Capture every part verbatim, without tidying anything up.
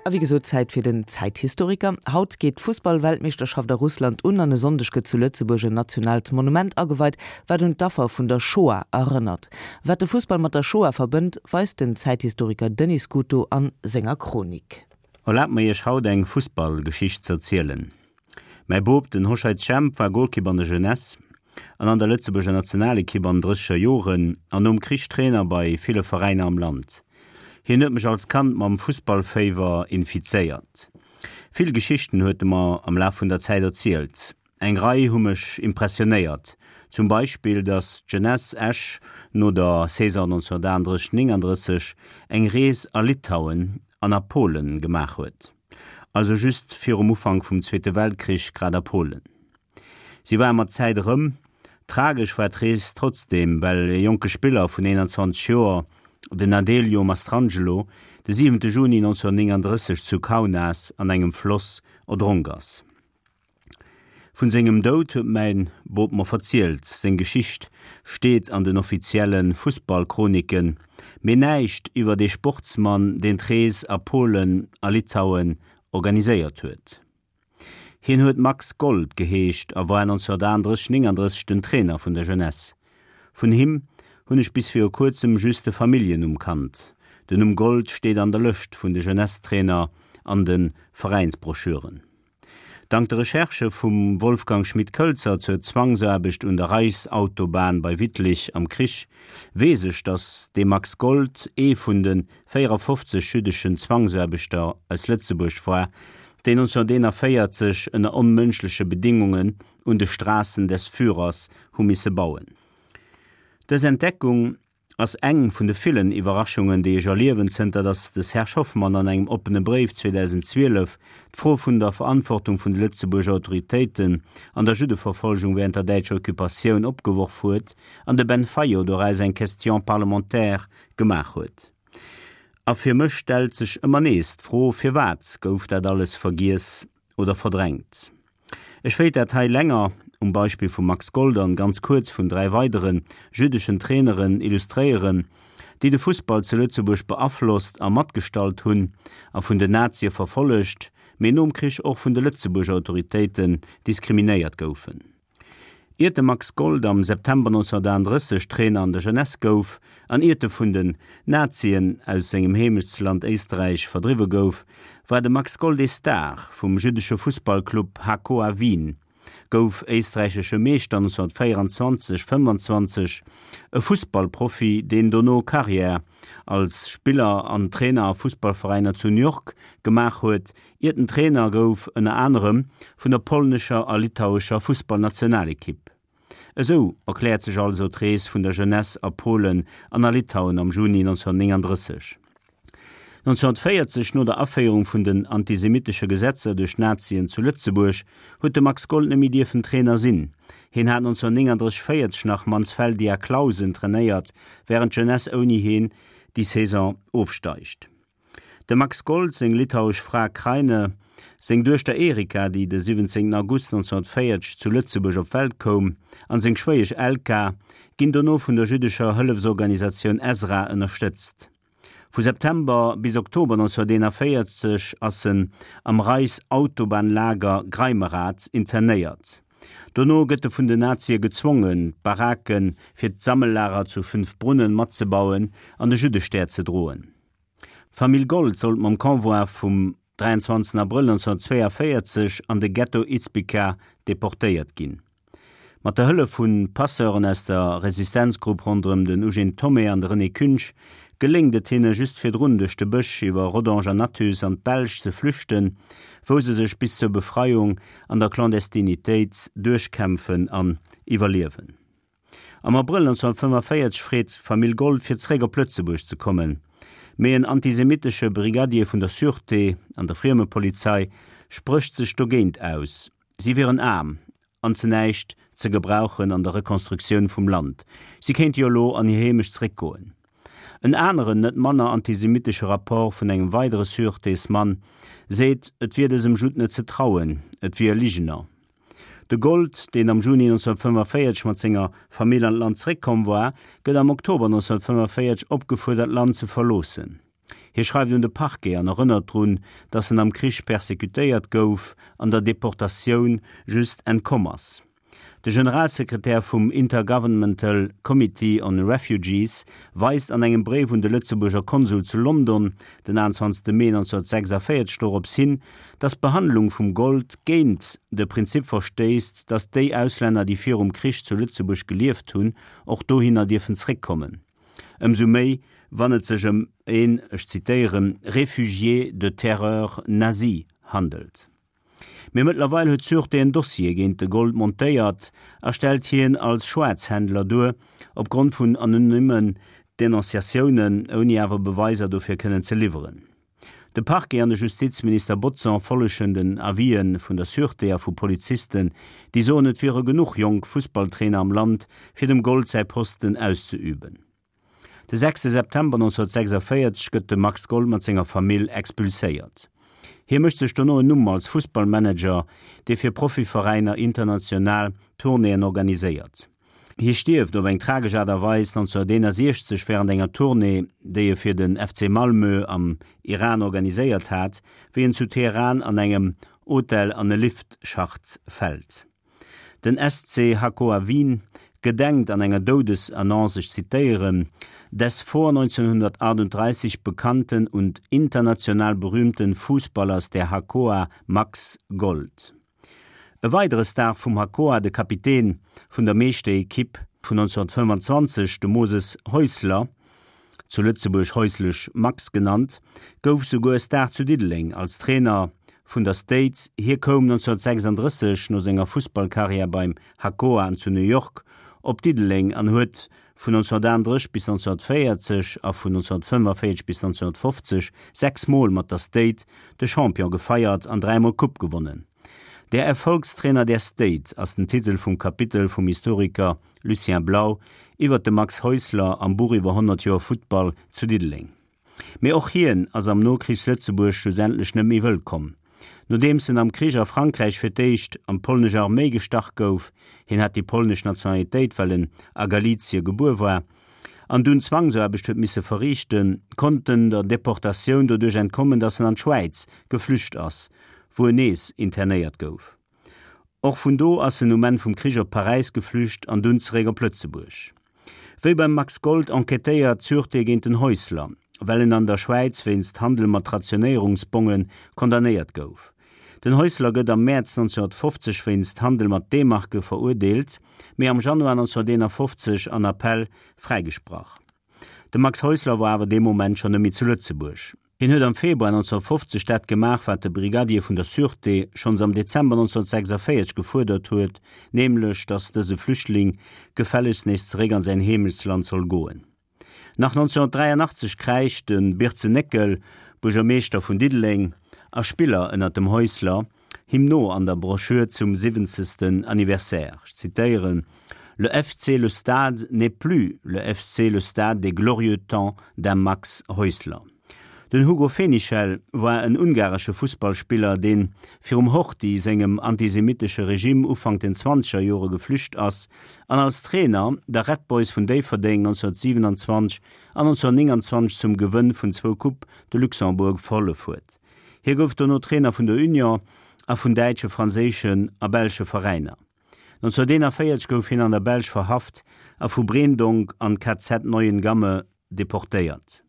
A wéi gesot, Zäit fir den Zäithistoriker. Haut geet d'Fussballweltmeeschterschaft a Russland un an e Sonndeg gëtt zu Lëtzebuerg en nationaalt Monument ageweit, wat un d'Affer vun der Shoah erënnert. Wat de Fussball mat der Shoah verbënnt, weist den Zäithistoriker Denis Scuto an senger Chronik. Erlaabt mer iech haut eng Fussballgeschicht z'erzielen. Mäi Bop, den Hoscheit Jemp, war Golkipp an der Jeunesse an an der Lëtzebuerger Nationalekipp an drësseger Joren an nom Krich Trainer bei ville Veräiner am Land. Hien huet mech als Kand mam Fussballféiwer infizéiert. Vill Geschichten huet e mer am Laf vun der Zäit erzielt. Eng Rei hu mech impressionéiert, zum Beispill, datt d'Jeunesse Esch no der Saison neunzehnhundertaachtunddrësseg nénganddrësseg eng Rees a Litauen an a Polen gemaach huet, also just virum Ufank vum Zweete Weltkrich, grad a Polen. Si ware mat Zäit erëm. Tragesch war d'Rees trotzdeem, well e jonke Spiller vun eenanzwanzeg Joer, den Adelio Mastrangelo, de siwente Juni neunzehnhundertnénganddrësseg zu Kaunas an engem Floss erdronk ass. Vun sengem Doud huet mäin Bop mer verzielt, seng Geschicht steet an den offizielle Fussballchroniken, mee näischt iwwer dee Sportsmann, deen d'Rees a Polen a Litauen organiséiert huet. Hien huet Max Gold geheescht a war neunzehnhundertaachtunddrësseg nénganddrësseg den Trainer vun der Jeunesse. Vun him hunn ech bis viru kuerzem just de Familljennumm kannt. Den Numm Gold steet an der Lëscht vun de Jeunesse-Trainer an de Veräinsbroschüren. Dank de Recherchë vum Wolfgang Schmid-Kölzer zur Zwangsaarbecht un der Reichsautobahn bei Wittlich am Krich weess ech, datt dee Max Gold ee vun de véierafofzeg jüddeschen Zwangsaarbechter aus Lëtzebuerg war, déi neunzehnhunderteenundvéierzeg ënner onmënschleche Bedingungen un de Straßen des Führers hu misse bauen. Dës Entdeckung ass eng vun de villen Iwwerraschungen, déi ech erliewen, zënter datt de Serge Hoffmann an engem oppene Bréif zweedausendzwielef d'Fro vun der Verantwortung vun de Lëtzebuerger Autoritéiten an der Juddeverfolgung während der däitscher Occupatioun opgeworf huet an de Ben Fayot doraus eng Question parlementaire gemaach huet. A fir mech stellt sech ëmmer nees d'Fro, Firwat gouf dat alles vergiess oder verdrängt? Ech wéilt dat hei länger um Beispill vum Max Gold an ganz kuerz vun dräi weidere jüddeschen Traineren illustréieren, déi de Fussball zu Lëtzebuerg beaflosst a matgestalt hunn a vun den Nazie verfollegt, mee nom Krich och vun de Lëtzebuerger Autoritéiten diskriminéiert goufen. Iert de Max Gold am September neunzehnhundertaachtunddrësseg Trainer an der Jeunesse gouf an iert e vun den Nazien aus sengem Heemechtsland Éisterräich verdriwwe gouf, war de Max Gold ee Star vum jüddesche Fussballclub Hakoah Wien, gouf éisträichesche Meeschter neunzehnhundertvéieranzwanzeg, fëmmanzwanzeg, e Fussballprofi, deen dono Karriär als Spiller an Trainer a Fussballveräiner zu New York gemaach huet, iert en Trainer gouf, ënner anerem vun der polnescher a litauescher Fussballnationalekipp. Esou erkläert sech also d'Rees vun der Jeunesse a Polen an a Litauen am Juni neunzehnhundertnénganddrësseg. neunzehnhundertvéierzeg, no der Aféierung vun den antisemittesche Gesetzer duerch d'Nazien zu Lëtzebuerg, huet de Max Gold net méi dierfen Trainer sinn. Hien hat neunzehnhundertnénganddrësseg, véierzeg nach Mansfeldia Clausen trainéiert, wärend d'Jeunesse ouni hien déi Saison ofsteigt. Dem Max Gold seng litauesch Fra Kraine, seng Duechter Erika, déi de siwwenzéngten August neunzehnhundertvéierzeg zu Lëtzebuerg op d'Welt koum, an seng Schwéiesch Elka ginn dono vun der jüddescher Hëllefsorganisatioun Ezra ënnerstëtzt. Vu September bis Oktober neunzehnhunderteenundvéierzeg ass en am Reichsautobahnlager Greimerath internéiert. Dono gëtt e vun den Nazie gezwongen, d'Barake fir d'Sammellager zu Fünfbrunnen matzebauen an de Juddestär ze droen. D'Famill Gold sollt mam Convoi vum dräianzwanzegsten Abrëll neunzehnhundertzweiundvéierzeg an de Ghetto Izbica deportéiert ginn. Mat der Hëllef vu Passeuren aus der Resistenzgrupp ronderëm den Eugène Thomé an de René Künsch geléngt et hinne just virdrun duerch de Bësch iwwer Rodange an Athus an d'Belsch ze flüchten, wou se sech bis zur Befreiung an der Clandestinitéit duerchkämpfen an iwwerliewen. Am Abrëll neunzehnhundertfënnefenvéierzeg freet d'Famill Gold fir zeréck op Lëtzebuerg ze kommen, mee en antisemitesche Brigadier vun der Sûreté an der Friemepolizei sprécht sech dogéint aus, si wieren aarm an zu näischt ze gebrauchen an der Rekonstruktioun vum Land, si kéinte jo elo an hir Heemecht zeréckgoen. En aneren, net manner antisemitesche Rapport vun engem weidere Sûretés-Mann seet, et wier dësem Judd net ze trauen, et wier e Ligener. De Gold, deen am Juni neunzehnhundertfënnefenvéierzeg mat senger Famill an d'Land zeréckkomm war, gëtt am Oktober neunzehnhundertfënnefenvéierzeg opgefuerdert, d'Land ze verloossen. Hie schreift un de Parquet an erënnert drun, datt en am Krich persekutéiert gouf an der Deportatioun just entkomm ass. De Generalsekretär vum Intergovernmental Committee on Refugees weist an engem Bréif un de Lëtzebuerger Konsul zu London den achtenzwanzegste Mee neunzehnhundertsechsundvierzig dorops hin, datt d'Behandlung vum Gold géint de Prinzip verstéisst, datt déi Auslänner, déi virum Krich zu Lëtzebuerg gelieft hunn, och dohinner dierfen zréckkommen. Ëmsou méi, wann et sech ëm een, ech zitéieren, réfugié de terreur nazie handelt. Mee mëttlerweil huet d'Sûreté en Dossier géint de Gold montéiert a stellt hien als Schwaarzhändler duer, opgrond vun anonymmen Denonciatiounen, ouni awer Beweiser dofir kënnen ze liwweren. De Parquet an de Justizminister Bodson follegen den Avisen vun der Sûreté a vu Polizisten, déi soen, et wiere genuch jonk Fussballtrainer am Land, fir dem Gold säi Posten auszeüben. De sechste September neunzehnhundertsechsundvierzig gëtt de Max Gold mat senger Famill expulséiert. Hie mécht sech dono en Numm als Fussballmanager, dee fir Profiveräiner international Tournéeën organiséiert. Hie stierft op eng tragesch Aart a Weis neunzehnhunderteenundsechzeg wärend enger Tournée, déi e fir den F C Malmö am Iran organiséiert hat, wéi en zu Teheran an engem Hotel an e Liftschacht fält. Den S C Hakoah Wien gedenkt an enger Doudesannonce, ech zitéieren, des vor neunzehnhundertachtunddreißig bekannten und international berühmten Fußballers der Hakoah Max Gold. E weidere Star vum Hakoah, de Kapitän vun der Meeschterekipp vun neunzehnhundertfënfundzwanzeg, de Moses Häusler, zu Lëtzebuerg Häuslesch Max genannt, gouf souguer Star zu Diddeleng als Trainer vun der State. Hie koum neunzehnhundertsechsunddrësseg no senger Fussballkarriär beim Hakoah an zu New York op Diddeleng an huet vun neunzehnhundertachtunddrësseg bis neunzehnhundertvéierzeg a vun neunzehnhundertfënnefenvéierzeg bis neunzehnhundertfofzeg sechs Mol mat der State de Champion gefeiert an dräimol d'Coupe gewonnen. Der Erfolgstrainer der State ass den Titel vum Kapitel vum Historiker Lucien Blau iwwer de Max Häusler am Buch iwwer honnert Joer Futtball zu Diddeleng. Mee och hien ass am Nokrichs-Lëtzebuerg schlussendlech net méi wëllkomm. Nodeems en am Krich a Frankräich fir d'éischt an d'polnesch Arméi gestach gouf, hien hat déi polnesch Nationalitéit, well en a Galizie gebuer war, an dunn Zwangsaarbecht huet misse verriichten, konnt en der Deportatioun doduerch entkommen, datt en an d'Schwäiz geflücht ass, wou en nees internéiert gouf. Och vun do ass en um Enn vum Krich op Paräis geflücht an dunn zeréck op Lëtzebuerg. Wéi beim Max Gold enquêtéiert d'Sûreté géint den Häusler, well en an der Schwäiz wéinst Handel mat Rationéierungsbonge condamnéiert gouf. Den Häusler gëtt am Mäerz neunzehnhundertfofzeg wéinst Handel mat D-Marke verurdeelt, mee am Januar neunzehnhunderteenafofzeg an Appell fräigesprach. De Max Häusler war awer dee Moment schonn net méi zu Lëtzebuerg. Hien huet am Februar neunzehnhundertfofzeg dat gemaach, wat de Brigadier vun der Sûreté schonns am Dezember neunzehnhundertsechsundvéierzeg gefuerdert huet, nämlech datt dëse Flüchtling gefällegst nees zeréck an säin Heemechtsland soll goen. Nach neunzehnhundertdräianachtzeg kräischt de Birzen Néckel, Buergermeeschter vun Diddeleng a Spiller ënner dem Häusler, him no an der Broschür zum siwwenzegsten Anniversaire. Ech zitéieren, Le F C Le Stade n'est plus le F C Le Stade des glorieux temps d'un Max Häusler. Den Hugo Fenichel war en ungaresche Fussballspiller, dee virum Horthy sengem antisemitesche Regime Ufank den zwanzeger Jore geflücht ass an als Trainer der Red Boys vun Déifferdeng neunzehnhundertsiewenundzwanzeg an neunzehnhundertneunundzwanzeg zum Gewënn vun zwou Coupe de Luxembourg verhollef huet. Hie gouf dono Trainer vun der Union a vun däitsche, franséischen a belsche Veräiner. neunzehnhunderteenundvéierzeg gouf hien an der Belsch verhaft a vu Breendonk an d'K Z Neuengamme deportéiert.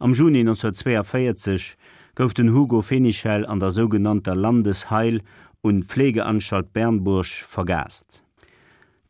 Am Juni neunzehnhundertzweiundvéierzeg gouf den Hugo Fenichel an der sougenannter Landesheil- und Pflegeanstalt Bernburg vergaast.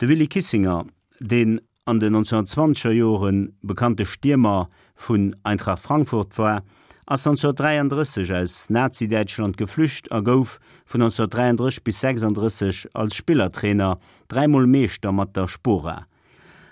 De Willy Kissinger, deen an den neunzehnhundertzwanzeger Jore bekannte Stiermer vun Eintracht Frankfurt war, ass neunzehnhundertdräianddrësseg aus Nazi-Däitschland geflücht a gouf vun neunzehnhundertdräianddrësseg bis sechsanddrësseg als Spillertrainer dräimol Meeschter mat der Spora.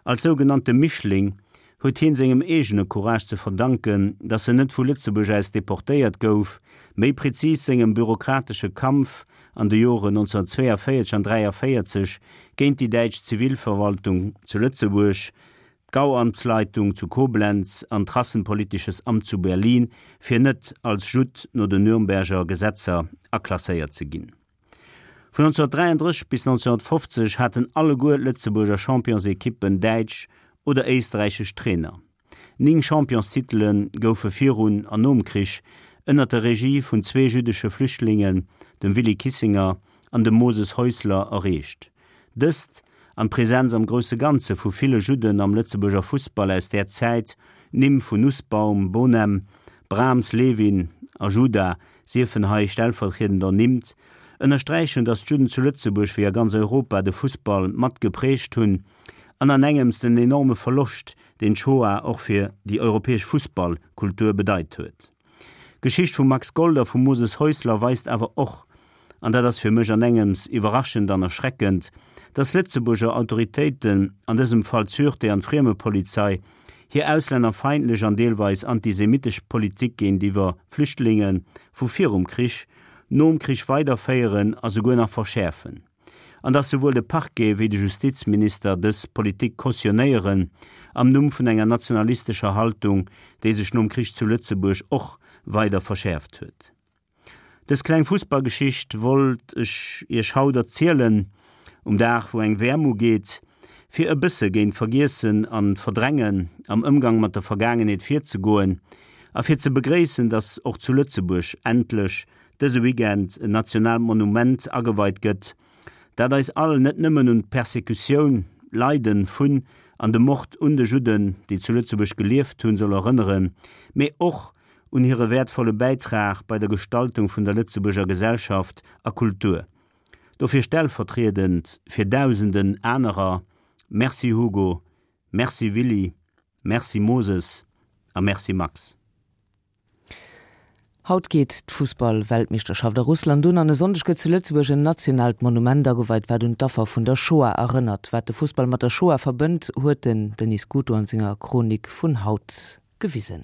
Als sougenannte Mischling huet hien sengem eegene Courage ze verdanken, datt en net vu Lëtzebuerg aus deportéiert gouf, méi prezis sengem bürokratesche Kampf an de Joren neunzehnhundertzweiundvéierzeg an dräiandvéierzeg géint déi däitsch Zivilverwaltung zu Lëtzebuerg, d'Gauamtsleitung zu Koblenz an d'Rassenpolitisches Amt zu Berlin, fir net als Judd no den Nürnberger Gesetzer aklasséiert ze ginn. Vun neunzehnhundertdräianddrësseg bis neunzehnhundertfofzeg haten alleguer d'Lëtzebuerger Championsekippen däitsch oder éisträichesch Trainer. Néng Championstitele goufe virun an nom Krich ënner der Regie vun zwee jüddesche Flüchtlingen, dem Willy Kissinger an dem Moses Häusler, erreecht. Dëst, an d'Presenz am grousse Ganze vu ville Judden am Lëtzebuerger Fussball aus där Zäit, Nimm vun Nussbaum, Bonem, Brahms, Lewin a Juda siefen hei stellvertriedend ernimmt, ënnersträichen, datt d'Judden zu Lëtzebuerg wéi a ganz Europa de Fussball mat geprägt hunn an an engems den enorme Verloscht, deen d'Shoah och fir déi europäesch Fussballkultur bedeit huet. D'Geschicht vum Max Gold a vum Moses Häusler weist awer och, an dat ass fir mech an engems iwwerraschend an erschreckend, datt Lëtzebuerger Autoritéiten, an dësem Fall d'Sûreté an d'Friemepolizei, hir auslännerfeindlech an deelweis antisemitesch Politik géintiwwer Flüchtlinge vu virum Krich, nom Krich weiderféieren a souguer nach verschäerfen, an datt souwuel de Parquet wéi de Justizminister dës Politik cautionnéieren am Numm vun enger nationalistescher Haltung, déi sech nom Krich zu Lëtzebuerg och weider verschäerft huet. Dës kleng Fussballgeschicht wollt ech iech haut erzielen, um Dag wou eng WM ugeet, fir e bësse géint Vergiessen an Verdrängen am Ëmgang mat der Vergaangenheet virzegoen a fir ze begréissen, dass och zu Lëtzebuerg endlech dëse Weekend en nationaalt Monument ageweit gëtt, dat eis all net nëmmen un d'Persekutioun, Leiden vun an de Mord un de Judden, déi zu Lëtzebuerg gelieft hunn, soll erënneren, mee och un hire wäertvolle Bäitrag bei der Gestaltung vun der Lëtzebuerger Gesellschaft a Kultur. Dofir stellvertriedend fir dausenden anerer, Merci Hugo, Merci Willy, Merci Moses a Merci Max. Haut geet d'Fussball-Weltmeeschterschaft a Russland un an e Sonndeg gëtt zu Lëtzebuerg en nationaalt Monument ageweit, wat un d'Affer vun der Shoah erënnert. Wat de Fussball mat der Shoah verbënnt, huet den Denis Scuto an senger Chronik vun haut gewisen.